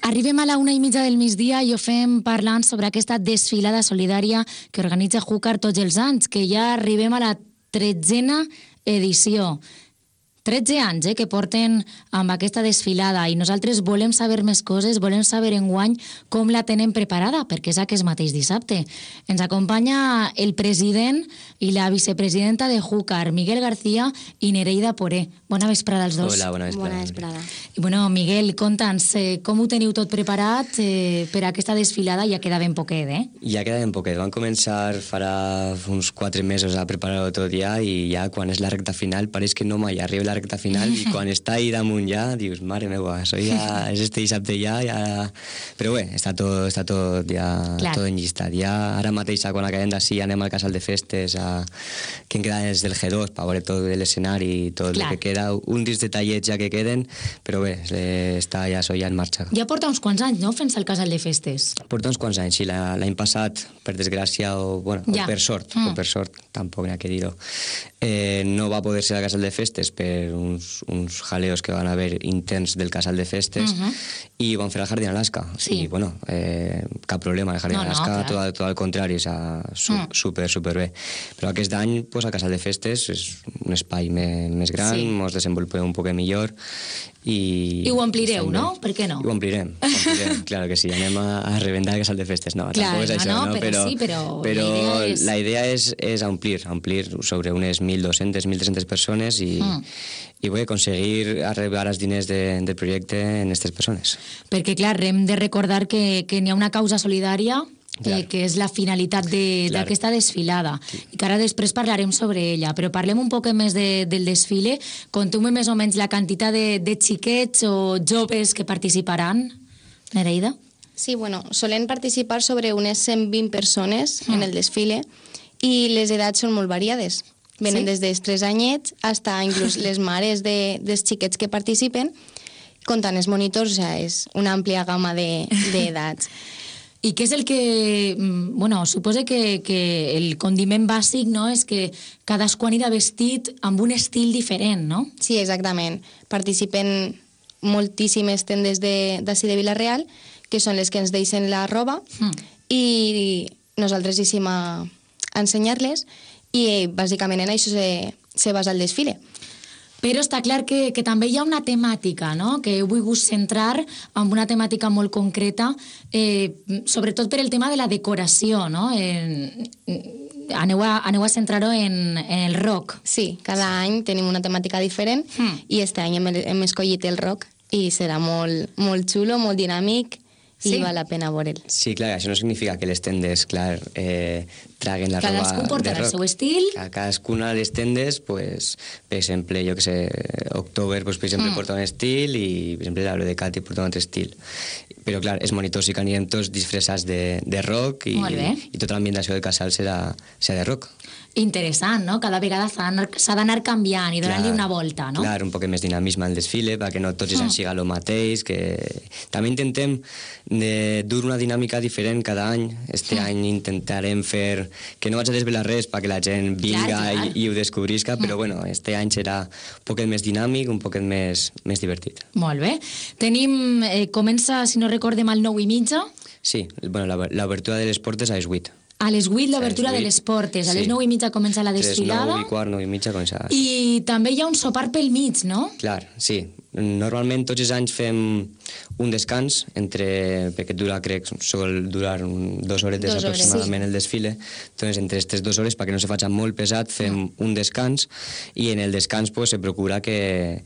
Arribem a la 1:30 del migdia i ho fem parlant sobre aquesta desfilada solidària que organitza Júcar tots els anys, que ja arribem a la 13a edició. 13 anys que porten amb aquesta desfilada i nosaltres volem saber més coses, volem saber enguany com la tenen preparada, perquè és aquest mateix dissabte. Ens acompanya el president i la vicepresidenta de Júcar, Miguel García i Nereida Poré. Bona vesprada als dos. Hola, bona vesprada. Bona vesprada. I bueno, Miguel, conta'ns com ho teniu tot preparat per a aquesta desfilada? Ja queda ben poquet, Ja queda ben poquet. Vam començar farà uns 4 mesos a preparar-ho tot ja i ja quan és la recta final pareix que no mai arriba la recta final i quan està ahí damunt ja dius, mare meva, això ja és este dissabte ja... Però bé, està tot ja tot enllistat. Ja ara mateix quan acabem d'ací anem al casal de festes que en queda des del G2 per veure tot l'escenari i tot el que queda, uns detallets ja que queden, però bé, està ja això ja en marxa. Ja porta uns quants anys, no?, fent-se al casal de festes. Porta uns quants anys, sí. L'any passat, per desgràcia o per sort, tampoc n'hi ha que dir-ho, no va poder ser al casal de festes per uns jaleos que van haver interns del casal de festes i van fer al Jardín Alaska. I bueno, cap problema, el Jardín Alaska, tot al contrari, super bé. Però aquest any, al casal de festes és un espai més gran, ens desenvolupem un poc millor i ho omplireu, no? Per què no? Ho omplirem, claro que sí, anem a reventar el casal de festes. No, tampoc és això, però la idea és omplir sobre unes 1.200, 1.300 persones i vull aconseguir arribar als diners del projecte en aquestes persones. Perquè, clar, hem de recordar que n'hi ha una causa solidària que és la finalitat d'aquesta desfilada i que ara després parlarem sobre ella, però parlem un poc més del desfile. Conteu-me més o menys la quantitat de xiquets o joves que participaran, Nereida? Sí, bueno, solen participar sobre unes 120 persones en el desfile i les edats són molt variades. Venen des dels 3 anyets fins inclús les mares dels xiquets que participen, comptant els monitors, és una àmplia gamma d'edats. I què és el que... Bueno, suposa que el condiment bàsic, no?, és que cadascú anirà vestit amb un estil diferent, no? Sí, exactament. Participen moltíssimes tendes d'ací de Vila-real, que són les que ens deixen la roba, i nosaltres hicim a ensenyar-les, i bàsicament en això se basa el desfile. Però està clar que també hi ha una temàtica, no?, que he volgut centrar en una temàtica molt concreta, sobretot per el tema de la decoració, no? Aneu a centrar-ho en el rock. Sí, cada any tenim una temàtica diferent i este any hem escollit el rock i serà molt xulo, molt dinàmic i val la pena veure'l. Sí, clar, això no significa que les tendes, clar, traguen la roba de rock. Cadascú portarà el seu estil. Cadascuna de les tendes, pues, per exemple, jo que sé, October, pues, per exemple, porta un estil i, per exemple, l'Aero de Cati porta un altre estil. Però, clar, els monitors i que anirem tots disfressats de rock i tota l'ambientació del casal serà de rock. Interessant, no? Cada vegada s'ha d'anar canviant i donant-li una volta, no? Clar, un poc més dinamisme al desfile, perquè no tots els anys siga el mateix, que també intentem dur una dinàmica diferent cada any. Este any intentarem fer que no vaig a desvelar res perquè la gent vinga i ho descobrisca, però bueno, este any serà un poquet més dinàmic, un poquet més divertit. Molt bé. Tenim, comença, si no recordem, al 9:30? Sí, bueno, l'obertura de les portes a les 8. A les 8 l'obertura de les portes, a les 9:30 comença la desfilada. 9:15 comença. I també hi ha un sopar pel mig, no? Clar, sí. Normalment tots els anys fem un descans, perquè sol durar 2 horetes aproximadament el desfile, doncs entre aquestes 2 hores, perquè no se faci molt pesat, fem un descans i en el descans se procura que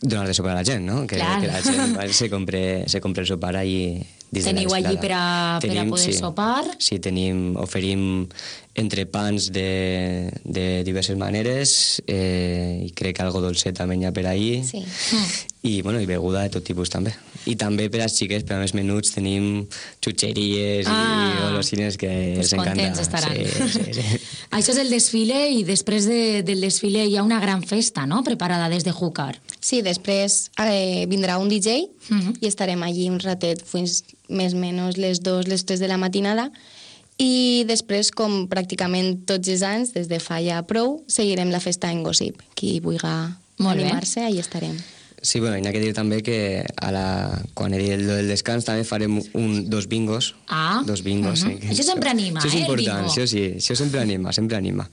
donar de sopar a la gent, no? Que la gent se compre el sopar allí. Teniu allí per a poder sopar? Sí, oferim entrepans de diverses maneres i crec que algo dolcet també hi ha per ahí i beguda de tot tipus també. I també per als xiquets, per a més menuts, tenim xutxeries i golosines que els encanta. Contents estaran. Sí. Això és el desfile i després del desfile hi ha una gran festa, no?, preparada des de Júcar. Sí, després vindrà un DJ i estarem allí un ratet fins més o menys les 2, les 3 de la matinada i després, com pràcticament tots els anys, des de fa ja prou, seguirem la festa en Gossip. Qui vulgui animar-se, allà estarem. Sí, bueno, hi ha que dir també que quan he dit el del descans també farem dos bingos. Dos bingos. Això sempre anima, això és important, el bingo. Això sempre anima.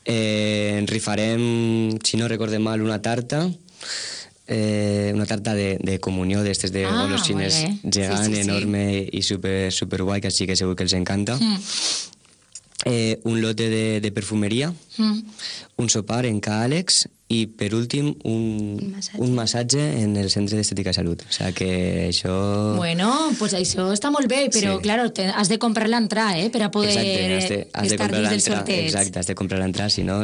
En rifarem, si no recorde mal, una tarta de comunió d'estes de golosines gegant, enorme i super guai, que així que segur que els encanta. Un lote de perfumeria, un sopar en Ca Àlex i, per últim, un massatge en el Centre d'Estètica i Salut. O sigui que això... Bueno, pues això està molt bé, però, claro, has de comprar l'entrada, per a poder estar dins del sorteig. Exacte, has de comprar l'entrada, si no...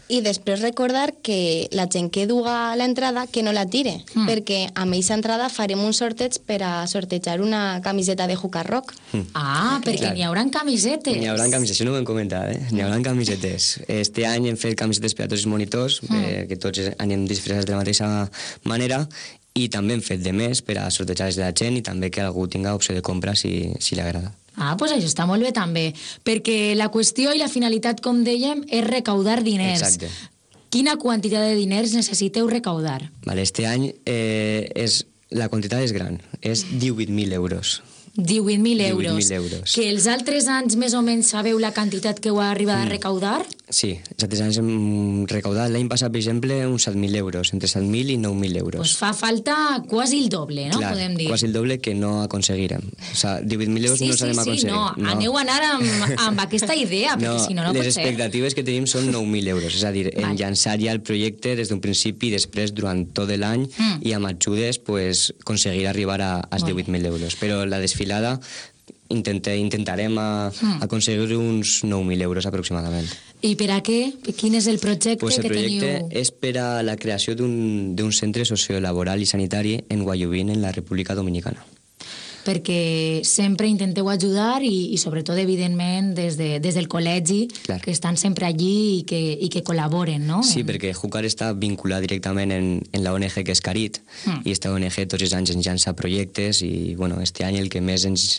I després recordar que la gent que duga l'entrada que no la tire, perquè amb aquesta entrada farem un sorteig per a sortejar una camiseta de Júcar Rock. Perquè n'hi haurà camisetes. N'hi haurà camisetes, això no ho hem comentat, N'hi haurà camisetes. Este any hem fet camisetes per a tots els monitors, que tots anem disfressats de la mateixa manera, i també hem fet de més per a sortejar-les de la gent i també que algú tinga opció de compra si li agrada. Doncs això està molt bé també, perquè la qüestió i la finalitat, com dèiem, és recaudar diners. Exacte. Quina quantitat de diners necessiteu recaudar? Este any la quantitat és gran, és 18.000 euros. 18.000 euros. Que els altres anys més o menys sabeu la quantitat que heu arribat a recaudar? Sí, els altres anys hem recaudat l'any passat, per exemple, uns 7.000 euros, entre 7.000 i 9.000 euros. Pues fa falta quasi el doble, no? Clar, podem dir. Quasi el doble que no aconseguirem. O sigui, 18.000 euros no sabem aconseguir. No, aneu a anar amb aquesta idea, perquè si no pot ser. Les expectatives que tenim són 9.000 euros, és a dir, en llançar ja el projecte des d'un principi i després durant tot l'any i amb ajudes aconseguir arribar als 18.000 euros. Però la desfilada intentarem aconseguir uns 9.000 euros aproximadament. I per a què? Quin és el projecte que teniu? El projecte és per a la creació d'un centre sociolaboral i sanitari en Guayubín, en la República Dominicana. Perquè sempre intenteu ajudar i sobretot, evidentment, des del col·legi, que estan sempre allí i que col·laboren, no? Sí, perquè Júcar està vinculat directament en la ONG que és Carit, i esta ONG tots els anys ens llança projectes i, bueno, este any el que més ens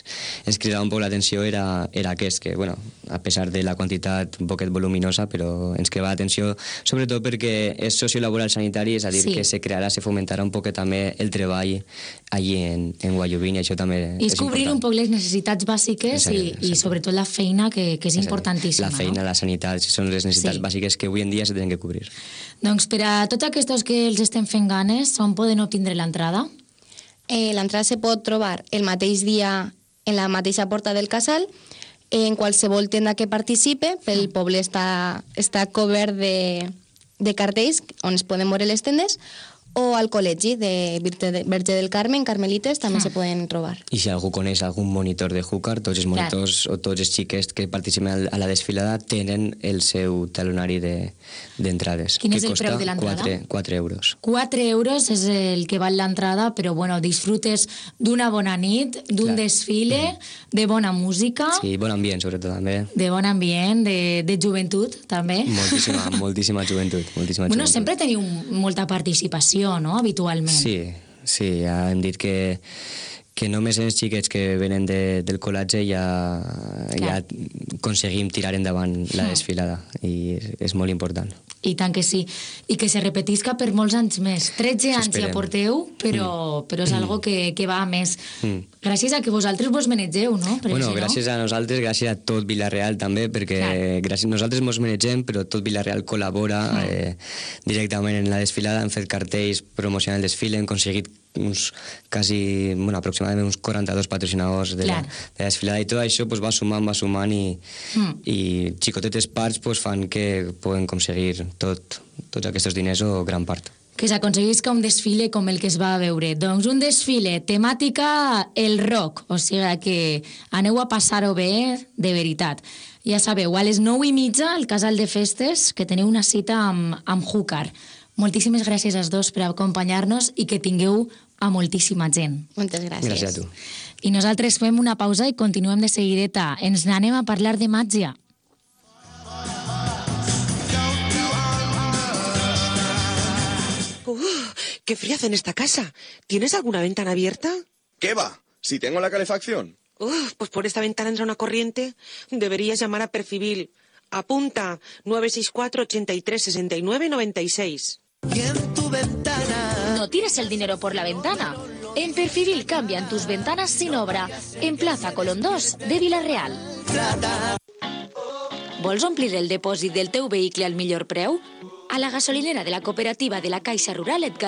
cridava un poc l'atenció era aquest, que, bueno, a pesar de la quantitat un poquet voluminosa, però ens cridava l'atenció sobretot perquè és sociolaboral sanitari, és a dir, que se crearà, se fomentarà un poquet també el treball allí en Guayubín, i això també és cobrir un poc les necessitats bàsiques i sobretot la feina, que és importantíssima. La feina, la sanitat, són les necessitats bàsiques que avui en dia se tenen que cobrir. Doncs per a tots aquests que els estem fent ganes, on poden obtindre l'entrada? L'entrada se pot trobar el mateix dia en la mateixa porta del casal, en qualsevol tenda que participe. Pel poble està cobert de cartells on es poden veure les tendes, o al col·legi de Verge del Carmen, Carmelites, també se poden trobar. I si algú coneix algun monitor de Júcar, tots els monitors o tots els xiquets que participen a la desfilada tenen el seu talonari d'entrades. Quin és el preu de l'entrada? 4 euros. 4 euros és el que val l'entrada, però bueno, disfrutes d'una bona nit, d'un desfile, de bona música... Sí, bon ambient, sobretot, també. De bon ambient, de joventut, també. Moltíssima joventut. Bueno, sempre teniu molta participació, no?, habitualment. Sí, ja hem dit que només els xiquets que venen del col·legi ja aconseguim tirar endavant la desfilada i és molt important. I tant que sí. I que se repetisca per molts anys més. 13 anys ja porteu, però és algo que va a més. Gràcies a que vosaltres vos manegeu, no? Bueno, gràcies a nosaltres, gràcies a tot Vila-real també, perquè nosaltres mos manegem, però tot Vila-real col·labora directament en la desfilada. Hem fet cartells promocionant el desfile, hem aconseguit aproximadament uns 42 patrocinadors de la desfilada, i tot això va sumant i xicotetes parts fan que poden aconseguir tots aquests diners o gran part. Que s'aconseguisca un desfile com el que es va veure. Doncs un desfile temàtica el rock, o sigui que aneu a passar-ho bé de veritat. Ja sabeu, a les 9:30 al Casal de Festes, que teniu una cita amb Júcar. Moltíssimes gràcies als dos per acompanyar-nos i que tingueu a moltíssima gent. Moltes gràcies. Gràcies a tu. I nosaltres fem una pausa i continuem de seguideta. Ens n'anem a parlar de màgia. ¡Qué frío hace en esta casa! ¿Tienes alguna ventana abierta? ¿Qué va? Si tengo la calefacción. Pues por esta ventana entra una corriente. Deberías llamar a Perfibil. Apunta, 964 83 69 96. No tires el dinero por la ventana. En Perfibil cambian tus ventanas sin obra. En Plaza Colón 2 de Vila-real. Vols omplir el depòsit del teu vehicle al millor preu? A la gasolinera de la cooperativa de la Caixa Rural et